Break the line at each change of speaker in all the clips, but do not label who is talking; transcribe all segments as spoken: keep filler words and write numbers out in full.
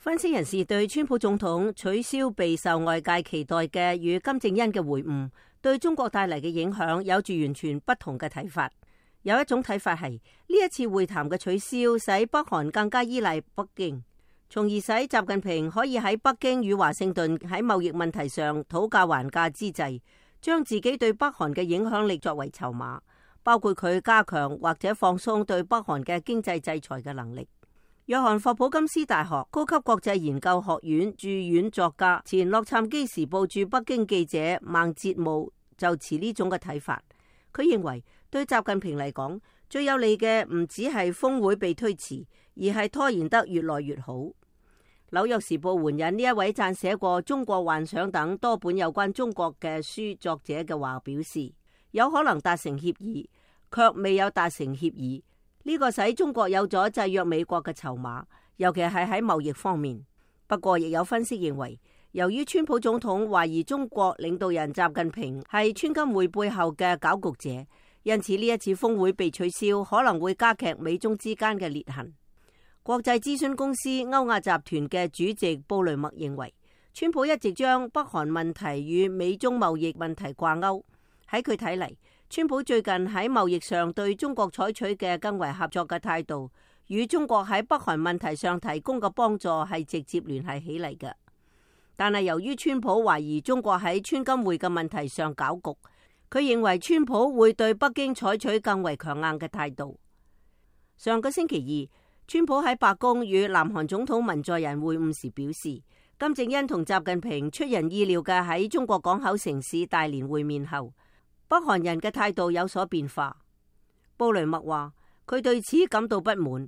分析人士對川普總統取消備受外界期待嘅與金正恩嘅會晤，對中國帶嚟嘅影響有住完全不同嘅睇法。有一種睇法係呢一次會談嘅取消，使北韓更加依賴北京，從而使習近平可以喺北京與華盛頓喺貿易問題上討價還價之際，將自己對北韓嘅影響力作為籌碼，包括佢加強或者放鬆對北韓嘅經濟制裁嘅能力。約翰霍普金斯大學高級國際研究學院駐院作家、前洛杉磯時報駐北京記者孟哲武就持呢種嘅睇法。佢認為對習近平嚟講，最有利嘅唔只係峰會被推遲，而係拖延得越來越好。紐約時報援引呢一位撰寫過《中國幻想》等多本有關中國嘅書作者嘅話表示，有可能達成協議，卻未有達成協議。呢個使中國有咗制約美國嘅籌碼，尤其係喺貿易方面。不過，亦有分析認為，由於川普總統懷疑中國領導人習近平係川金會背後嘅攪局者，因此呢一次峰會被取消，可能會加劇美中之間嘅裂痕。國際諮詢公司歐亞集團嘅主席布雷默認為，川普一直將北韓問題與美中貿易問題掛鈎。喺佢睇嚟，川普最近喺貿易上對中國採取嘅更為合作嘅態度，與中國喺北韓問題上提供嘅幫助係直接聯繫起嚟嘅。但係由於川普懷疑中國喺川金會嘅問題上搞局，佢認為川普會對北京採取更為強硬嘅態度。上個星期二，川普喺白宮與南韓總統文在寅會晤時表示，金正恩同習近平出人意料嘅喺中國港口城市大連會面後，北韓人嘅態度有所變化。布雷默話佢對此感到不滿，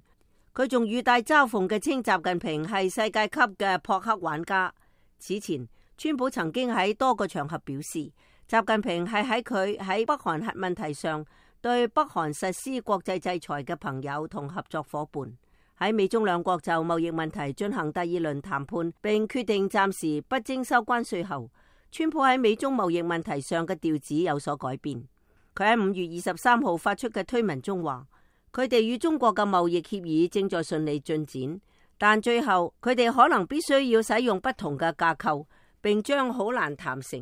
佢仲語帶嘲諷嘅稱習近平係世界級嘅撲克玩家。此前，川普曾經喺多個場合表示，習近平係喺佢喺北韓核問題上對北韓實施國際制裁嘅朋友同合作夥伴。喺美中兩國就貿易問題進行第二輪談判並決定暫時不徵收關稅後，川普喺美中貿易問題上嘅調子有所改變。佢喺五月二十三號發出嘅推文中話，佢哋與中國嘅貿易協議正在順利進展，但最後佢哋可能必須要使用不同嘅架構，並將好難談成，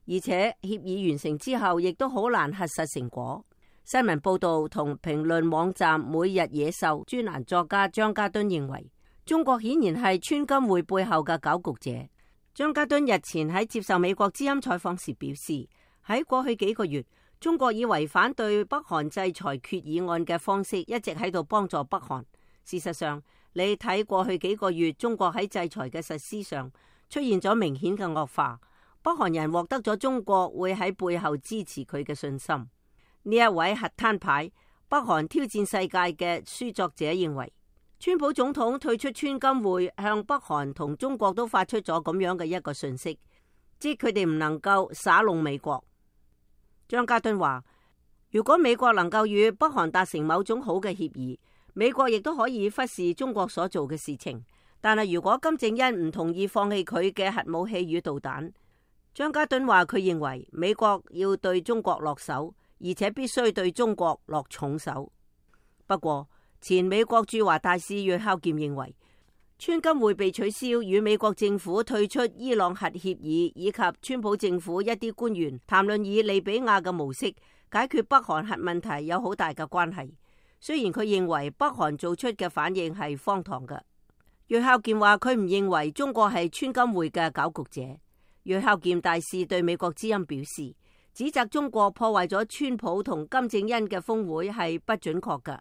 而且協議完成之後亦都好難核實成果。新聞報道同評論網站每日野獸專欄作家張家敦認為，中國顯然係川金會背後嘅攪局者。張家敦日前喺接受美國之音採訪時表示，喺過去幾個月，中國以違反對北韓制裁決議案嘅方式一直喺度幫助北韓。事實上，你睇過去幾個月，中國喺制裁嘅實施上出現咗明顯嘅惡化，北韓人獲得咗中國會喺背後支持佢嘅信心。呢一位核攤牌北韓挑戰世界嘅書作者認為，川普總統退出川金會，向北韓同中國都發出咗咁樣嘅一個訊息，即佢哋唔能夠耍弄美國。張家敦話，如果美國能夠與北韓達成某種好嘅協議，美國亦都可以忽視中國所做嘅事情。但係如果金正恩唔同意放棄佢嘅核武器與導彈，張家敦話佢認為美國要對中國落手，而且必須對中國落重手。不過，前美國駐華大使約孝儉認為，川金會被取消與美國政府退出伊朗核協議，以及川普政府一啲官員談論以利比亞嘅模式解決北韓核問題有好大嘅關係。雖然佢認為北韓做出嘅反應係荒唐嘅，約孝儉話佢唔認為中國係川金會嘅攪局者。約孝儉大使對美國之音表示，指責中國破壞咗川普同金正恩嘅峰會係不準確嘅。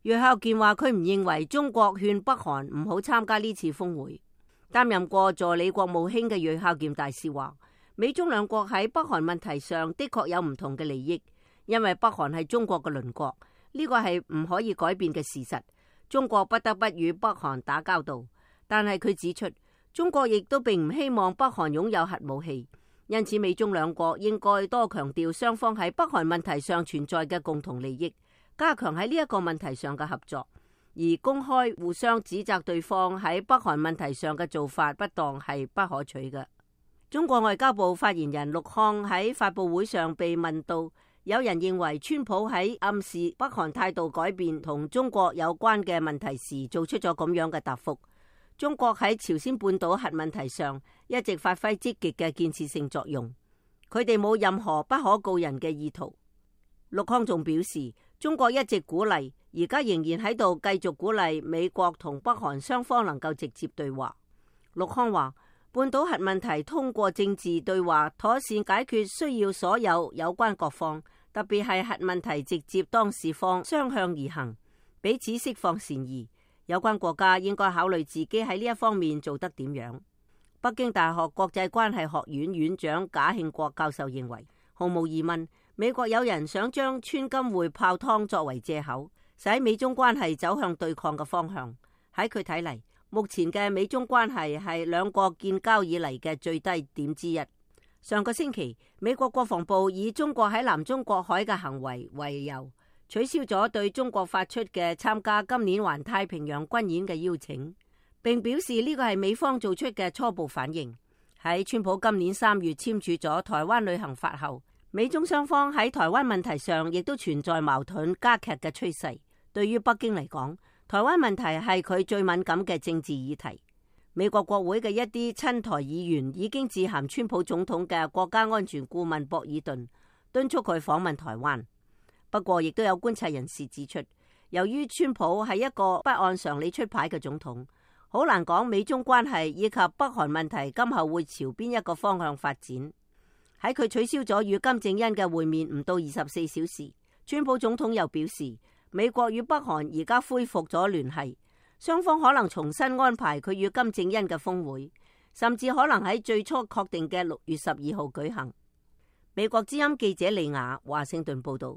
約孝儉話佢唔認為中國勸北韓唔好參加呢次峰會。擔任過助理國務卿嘅約孝儉大使話，美中兩國喺北韓問題上的確有唔同嘅利益，因為北韓係中國嘅鄰國，呢個係唔可以改變嘅事實。中國不得不與北韓打交道，但係佢指出，中國亦都並唔希望北韓擁有核武器。因此，美中兩國應該多強調雙方喺北韓問題上存在嘅共同利益，加強喺呢一個問題上嘅合作，而公開互相指責對方喺北韓問題上嘅做法不當係不可取嘅。中國外交部發言人陸康喺發佈會上被問到，有人認為川普喺暗示北韓態度改變同中國有關嘅問題時，做出咗咁樣嘅答覆。中國喺朝鮮半島核問題上一直發揮積極嘅建設性作用，佢哋冇任何不可告人嘅意圖。陸康仲表示，中國一直鼓勵，而家仍然喺度繼續鼓勵美國同北韓雙方能夠直接對話。陸康話，半島核問題通過政治對話妥善解決，需要所有有關各方，特別係核問題直接當事方相向而行，彼此釋放善意。有關國家應該考慮自己喺呢一方面做得點樣。北京大學國際關係學院院長賈慶國教授認為，毫無疑問，美國有人想將川金會泡湯作為借口，使美中關係走向對抗嘅方向。喺佢睇嚟，目前嘅美中關係係兩國建交以嚟嘅最低點之一。上個星期，美國國防部以中國喺南中國海嘅行為為由，取消咗對中國發出嘅參加今年環太平洋軍演嘅邀請，並表示呢個係美方做出嘅初步反應。喺川普今年三月簽署咗台灣旅行法後，美中雙方喺台灣問題上亦都存在矛盾加劇嘅趨勢。對於北京嚟講，台灣問題係佢最敏感嘅政治議題。美國國會嘅一啲親台議員已經致函川普總統嘅國家安全顧問博爾頓，敦促佢訪問台灣。不過，亦都有觀察人士指出，由於川普係一個不按常理出牌嘅總統，好難講美中關係以及北韓問題今後會朝邊一個方向發展。喺佢取消咗與金正恩嘅會面唔到二十四小時，川普總統又表示，美國與北韓而家恢復咗聯繫，雙方可能重新安排佢與金正恩嘅峰會，甚至可能喺最初確定嘅六月十二號舉行。美國之音記者李雅華盛頓報道。